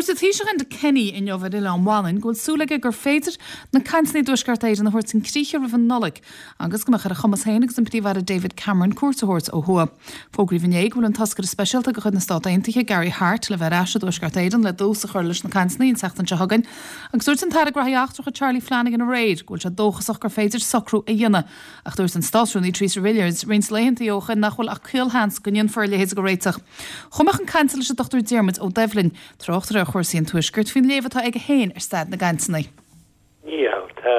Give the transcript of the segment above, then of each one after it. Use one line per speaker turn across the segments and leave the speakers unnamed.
Dúirt an Taoiseach Enda Kenny inniu ar Oileán Mhanainn go bhfuil súil aige gur féidir na cainteanna i dTuaisceart Éireann a thabhairt chun críche roimh an Nollaig agus go mbeadh ar a chumas féin agus an Príomh-Aire David Cameron cuairt a thabhairt ó thuaidh. Fógraíodh inné go bhfuil an toscaire speisialta de chuid na Stát Aontaithe, Gary Hart, le bheith ar ais i dTuaisceart Éireann le dtús a chur leis na cainteanna an tseachtain seo chugainn agus dúirt an tAire Gnóthaí Eachtracha Charlie Flanagan aréir go bhfuil sé dóchasach gur féidir socrú a dhéanamh Ach dúirt an Státrúnaí Theresa Villiers roinnt laethanta ó shin nach bhfuil ach caolsheans go ndéanfar a leithéid de réiteach. Chuaigh mé chun cainte leis an Dr Diarmuid Ó Doibhlin, tráchtaire ar chúrsaí an Tuaiscirt, faoin léamh atá aige féin ar staid na gcainteanna.
Níl. Tá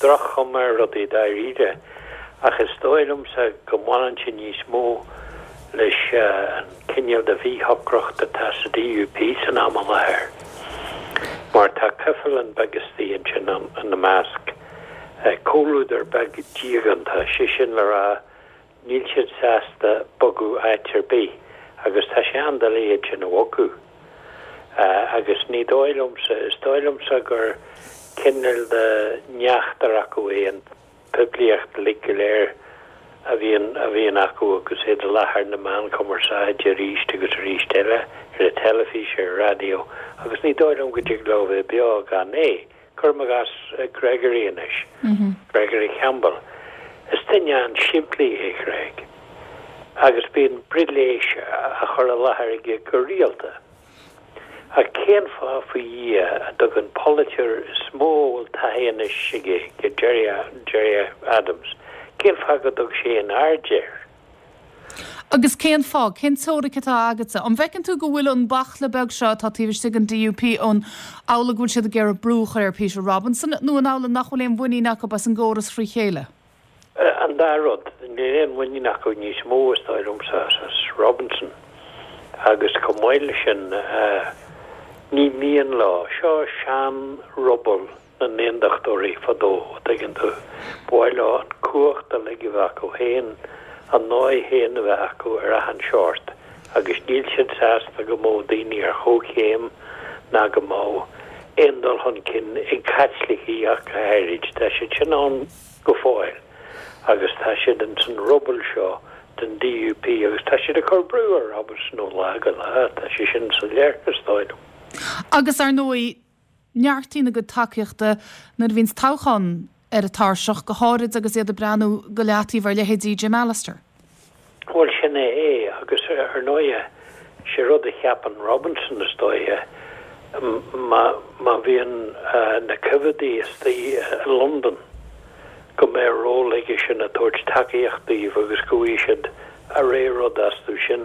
droch-chuma ar rudaí dáiríre, ach is dóigh liomsa go mbaineann sé níos mó leis an cineál de mhíshocracht atá sa DUP san am i láthair, mar tá coifealán beag istigh ansin ina measc. Comhluadar beag diaganta, sé sin le rá, níl siad sásta bogadh áit ar bith agus tá sé an-doiligh iad sin a bhogadh. Agus ní dóigh liomsa, is dóigh liomsa gur cineál de neachtar acu é an poiblíocht uilig go léir a bhíonn a bhíonn acu agus iad i láthair na meán cumarsáide arís agus arís eile, ar an teilifís, ar an raidió, agus ní dóigh liom go dtig leo bheith beo gan é. Cuirim i gcás Gregory anois, Gregory Campbell. Is duine an-simplí é Greg agus bíonn brilléis á chur i láthair aige go rialta. Ach cén fáth faoi Dhia a dtug an polaiteoir is mó a bhfuil taithí anois aige, Gerry Adams, cén fáth go dtug sé aon aird air?
Agus cén fáth? Cén teoiric atá agatsa? An bhfeiceann tú go bhfuil an baicle beag seo atá taobh istigh den DUP, an amhlaidh go bhfuil siad ag iarraidh brú a chur ar Peter Robinson nó an amhlaidh nach bhfuil aon mhuinín acu as an gcóras frí chéile?
An dá rud. Níl aon mhuinín acu níos mó, is dóigh liomsa, as Robinson. Agus chomh maith leis sin, ní mian leo. Seo sean-ruball. na nAondachtóirí fadó, a' dtuigeann tú. Ba mhaith leo an cumhacht uilig a bheith acu féin, a ndóigh féin a bheith acu ar achan seort agus níl siad sásta go mbeadh daoine ar chomhchéim ná go mbeadh aon dul chun cinn ag Caitlicigh ach go háirid. Tá siad sin ann go fóill agus tá siad ins an ruball seo den DUP agus tá siad ag cur brú ar Robinson ó lá go lá, tá sé sin soiléir, is dóigh liom.
Agus ar ndóigh, neartaíonn a gcuid tacaíochta nuair a bhíonns toghchán ar an tairseach, go háirid agus iad ag breathnú go leataobh ar leithéidí Jim Allister.
Bhuel, sin é é, agus ar ndóighe, sé rud a cheapann Robinson, is dóiche, má, má bhíonn na coimheadaigh istigh i Londain, go mbeidh ról aige sin ag tabhairt tacaíocht daoibh agus go bhfaighidh siad a rogha rud astu sin.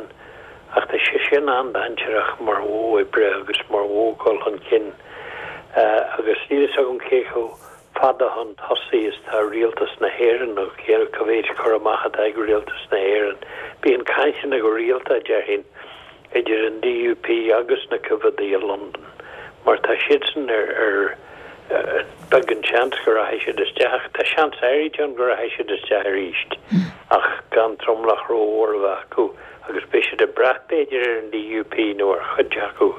Ach tá sé sin an-dainséarach mar mhodh oibre agus mar mhodh dul chun cinn agus níl fhios agam cé chomh fada chun tosaigh is tá Rialtas na hÉireann nó cé cá mhéid cur amach atá ag Rialtas na hÉireann. Bíonn cainteanna go rialta, déarfainn, idir an DUP agus na coimheadaigh i Londain mar tá siadsan ar ar beag an seans go rachaidh siad isteach. Tá seans áirid ann go rachaidh siad isteach arís ach gan tromlach rómhór a bheith acu agus beidh siad ag brath b'fhéidir ar an DUP nó ar chuid acu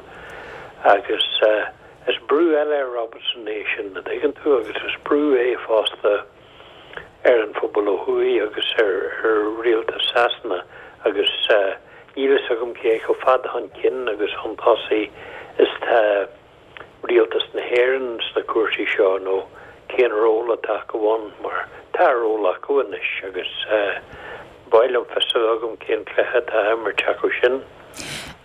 agus is brú eile ar Robinson é sin, a dtuigeann tú, agus is brú é fosta ar an phobal ó thuaidh agus ar rialtas Sasana agus níl fhios agam cé chomh fada chun cinn agus chun tosaigh is tá rialtas na hÉireann sna cúrsaí seo nó cén ról atá acu ann mar tá ról acu anois agus ba mhaith liom fios a bheith agam cén cluiche atá á imirt acu sin.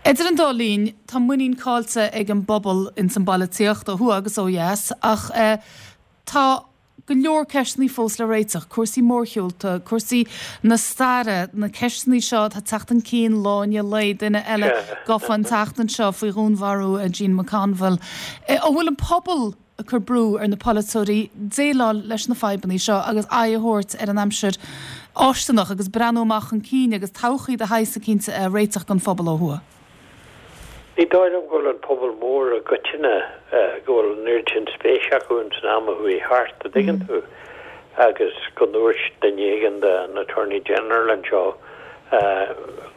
Idir an dá linn, tá muinín caillte ag an bpobal ins an bpolaitíocht, ó thuaidh agus ó dheas, ach tá go leor ceisteanna fós le réiteach, cúrsaí mórshiúlta, cúrsaí na staire, na ceisteanna seo atá ag teacht chun cinn lá i ndiaidh lae, duine eile gafa an tseachtain seo faoi dhúnmharú Jean McConville. An bhfuil an pobal ag cur brú ar na polaiteoirí déileáil leis na fadhbanna seo agus aghaidh a thabhairt ar an aimsir fháistineach agus breathnú amach chun cinn agus todhchaí de shaghas eicínt a réiteach don phobal ó thuaidh?
Ní dóigh liom go bhfuil an pobal mór i gcoitinne, go bhfuil an oiread sin spéis acu ins an am a chuaigh thart, a dtuigeann tú, agus go ndúirt duine éigin de an Attorney General anseo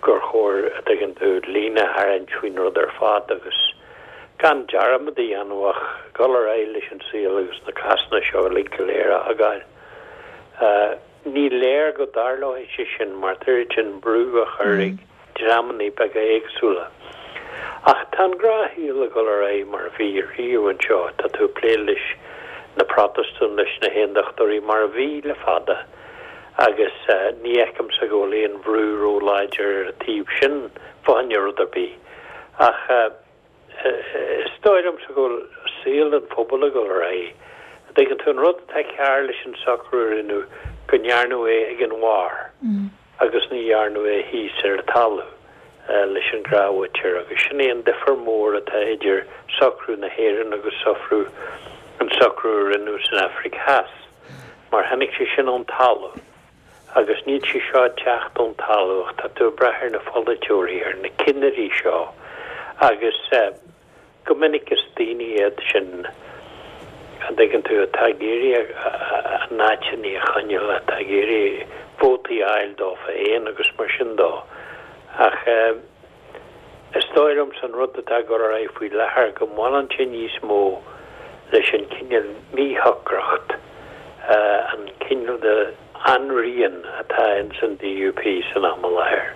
gur chóir, a dtuigeann tú, líne a tharraingt faoin rud ar fad agus gan dearmad a dhéanamh ach dul ar aghaidh leis an saol agus na cásanna seo uilig go léir a fhágáil. Ní léir go dtarlóidh sé sin mar tá oiread sin brú á chur ag dreamanna beaga éagsúla. Ach tá an gnáthshaol ag dul ar aghaidh mar a bhí riamh anseo, tá tú ag plé leis na Protastúin, leis na hAondachtóirí mar a bhí le fada agus ní fheicimse go bhfuil aon bhrú ró-láidir ar an taobh sin fá choinne rud ar bith. Ach is dóigh liomsa go bhfuil saol an phobail ag dul ar aghaidh. An dtuigeann tú, an rud atá cearr leis an socrú a rinneadh, go ndearnadh é ag an bharr agus ní dhearnadh é thíos ar an talamh leis an ghnáthmhuintir agus sin é an difear mór atá idir socrú na hÉireann agus socrú, an socrú a rinneadh san Afraic Theas mar tháinig sé sin ón talamh agus níl sé seo ag teacht ón talamh ach tá tú ag brath ar na pholaiteoirí, ar na cinnirí seo agus. Go minic is daoine iad sin, an dtuigeann tú, atá ag iarraidh a n-áiteanna a choinneáil, atá ag iarraidh vótaí a fháil dófa féin agus mar sin dó. Ach is dóigh liomsa an rud atá ag dul ar aghaidh faoi láthair go mbaineann sé níos mó leis an cineál míshocracht, an cineál de ainrian atá ins an DUP san am i láthair.